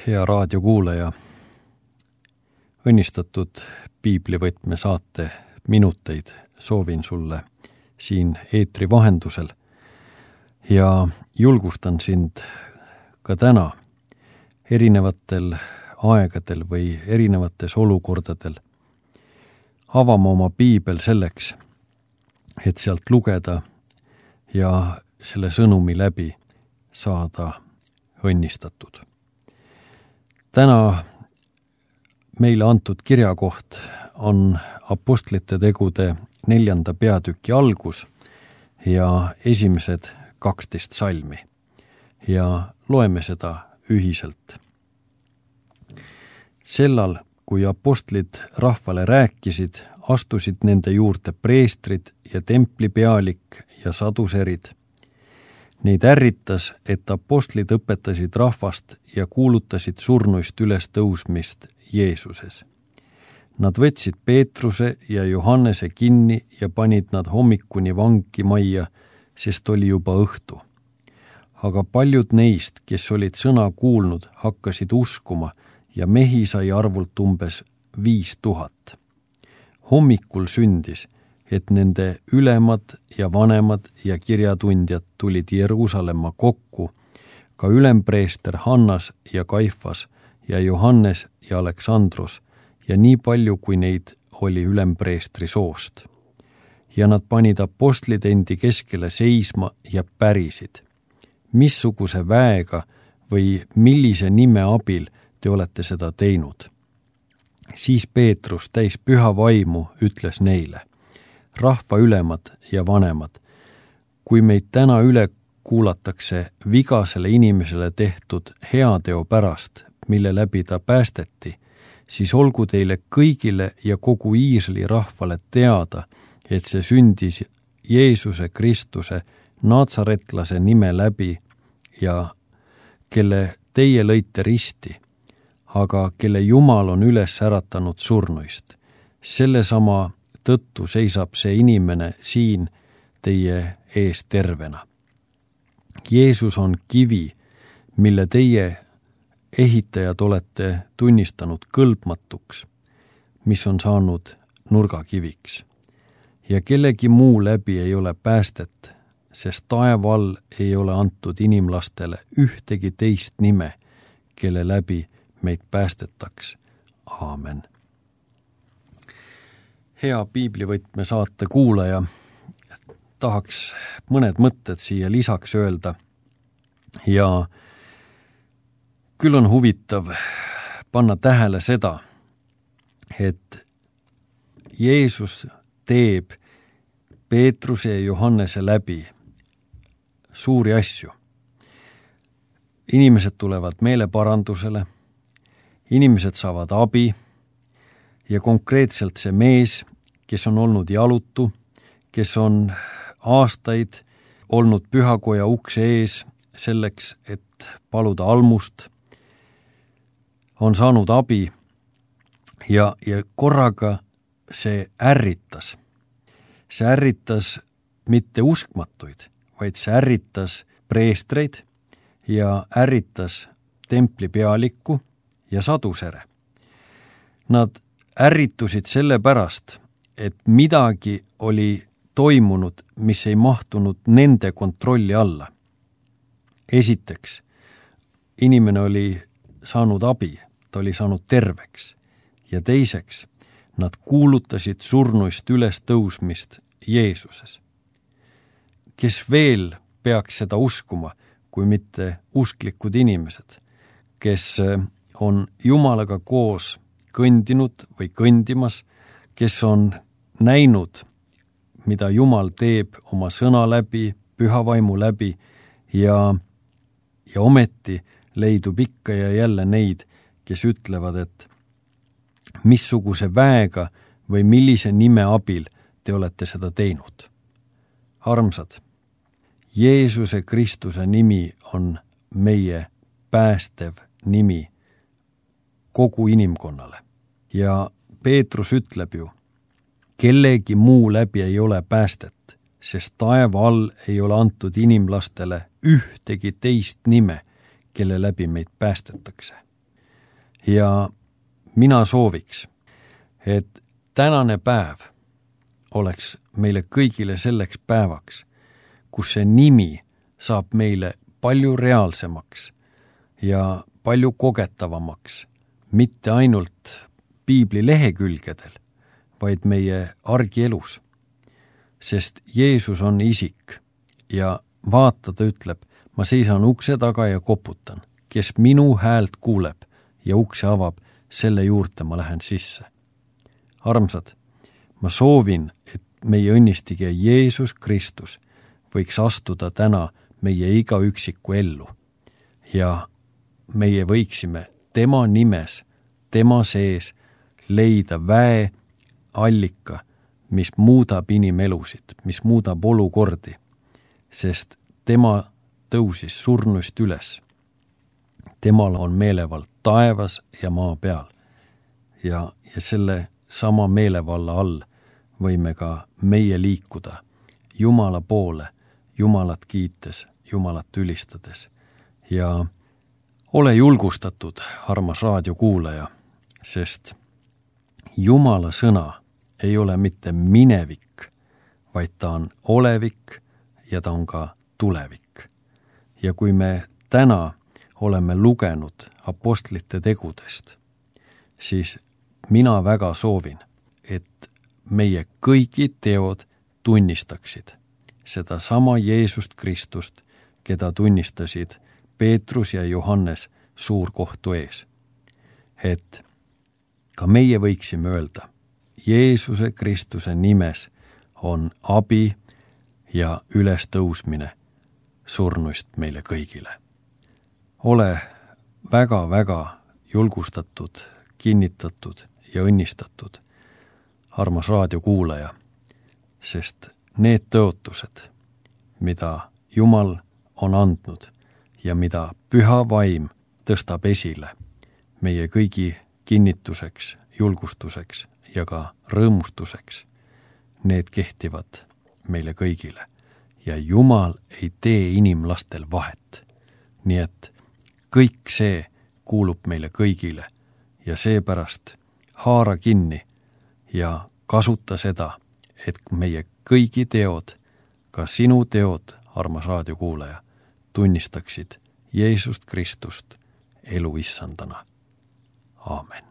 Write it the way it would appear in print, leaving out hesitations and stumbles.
Hea raadiokuulaja, õnnistatud piiblivõtme saate minuteid soovin sulle siin eetri vahendusel ja julgustan sind ka täna erinevatel aegadel või erinevates olukordadel avama oma piibel selleks, et sealt lugeda ja selle sõnumi läbi saada õnnistatud. Täna meile antud kirjakoht on Apostlite tegude 4. peatüki algus ja esimesed 12 salmi ja loeme seda ühiselt. Sellal, kui apostlid rahvale rääkisid, astusid nende juurde preestrid ja templipealik ja saduserid. Neid ärritas, et apostlid õpetasid rahvast ja kuulutasid surnuist üles tõusmist Jeesuses. Nad võtsid Peetruse ja Johannese kinni ja panid nad hommikuni vangimajja, sest oli juba õhtu. Aga paljud neist, kes olid sõna kuulnud, hakkasid uskuma ja mehi sai arvult umbes 5000. Hommikul sündis, et nende ülemad ja vanemad ja kirjatundjad tulid Jeruusalemma kokku, ka ülempreester Hannas ja Kaifas ja Johannes ja Aleksandros ja nii palju, kui neid oli ülempreestri soost. Ja nad panid apostlid endi keskele seisma ja pärisid. Missuguse väega või millise nime abil te olete seda teinud? Siis Peetrus täis püha vaimu ütles neile: rahva ülemad ja vanemad, kui meid täna üle kuulatakse vigasele inimesele tehtud heateo pärast, mille läbi ta päästeti, siis olgu teile kõigile ja kogu Iisraeli rahvale teada, et see sündis Jeesuse Kristuse Natsaretlase nime läbi ja kelle teie lõite risti, aga kelle Jumal on üles äratanud surnuist. Sellesama tõttu seisab see inimene siin teie ees tervena. Jeesus on kivi, mille teie ehitajad olete tunnistanud kõlbmatuks, mis on saanud nurgakiviks. Ja kellegi muu läbi ei ole päästet, sest taeva all ei ole antud inimlastele ühtegi teist nime, kelle läbi meid päästetaks. Aamen. Hea piiblivõtme saate kuulaja, tahaks mõned mõtted siia lisaks öelda ja küll on huvitav panna tähele seda, et Jeesus teeb Peetruse ja Johannese läbi suuri asju. Inimesed tulevad meeleparandusele, inimesed saavad abi ja konkreetselt see mees, kes on olnud jalutu, kes on aastaid olnud pühakoja ukse ees selleks, et paluda almust, on saanud abi ja korraga see ärritas. See ärritas mitte uskmatuid, vaid see ärritas preestreid ja ärritas templipealikku ja sadusere. Nad ärritusid sellepärast, et midagi oli toimunud, mis ei mahtunud nende kontrolli alla. Esiteks, inimene oli saanud abi, ta oli saanud terveks. Ja teiseks, nad kuulutasid surnuist üles tõusmist Jeesuses. Kes veel peaks seda uskuma, kui mitte usklikud inimesed, kes on Jumalaga koos kõndinud või kõndimas, kes on näinud, mida Jumal teeb oma sõna läbi, püha vaimu läbi ja ometi leidub ikka ja jälle neid, kes ütlevad, et missuguse väega või millise nime abil te olete seda teinud. Armsad, Jeesuse Kristuse nimi on meie päästev nimi kogu inimkonnale. Ja Peetrus ütleb ju, kellegi muu läbi ei ole päästet, sest taeva all ei ole antud inimlastele ühtegi teist nime, kelle läbi meid päästetakse. Ja mina sooviks, et tänane päev oleks meile kõigile selleks päevaks, kus see nimi saab meile palju reaalsemaks ja palju kogetavamaks, mitte ainult piibli lehekülgedel, vaid meie argielus. Sest Jeesus on isik ja vaata, ta ütleb, ma seisan ukse taga ja koputan. Kes minu häält kuuleb ja ukse avab, selle juurde ma lähen sisse. Armsad, ma soovin, et meie õnnistige Jeesus Kristus võiks astuda täna meie iga üksiku ellu ja meie võiksime tema nimes, tema sees leida väe allika, mis muudab inimelusid, mis muudab olukordi, sest tema tõusis surnuist üles. Temal on meelevald taevas ja maa peal ja selle sama meelevalla all võime ka meie liikuda Jumala poole, Jumalat kiites, Jumalat ülistades. Ja ole julgustatud, armas raadiokuulaja, sest Jumala sõna ei ole mitte minevik, vaid ta on olevik ja ta on ka tulevik. Ja kui me täna oleme lugenud apostlite tegudest, siis mina väga soovin, et meie kõigi teod tunnistaksid sedasama Jeesust Kristust, keda tunnistasid Peetrus ja Johannes suurkohtu ees. Et ka meie võiksime öelda, Jeesuse Kristuse nimes on abi ja ülestõusmine surnuist meile kõigile. Ole väga-väga julgustatud, kinnitatud ja õnnistatud, armas raadiokuulaja, sest need tõotused, mida Jumal on andnud ja mida Püha Vaim tõstab esile meie kõigi kinnituseks, julgustuseks ja ka rõõmustuseks, need kehtivad meile kõigile ja Jumal ei tee inimlastel vahet. Nii et kõik see kuulub meile kõigile ja seepärast haara kinni ja kasuta seda, et meie kõigi teod, ka sinu teod, armas raadiokuulaja, tunnistaksid Jeesust Kristust elu issandana. Aamen.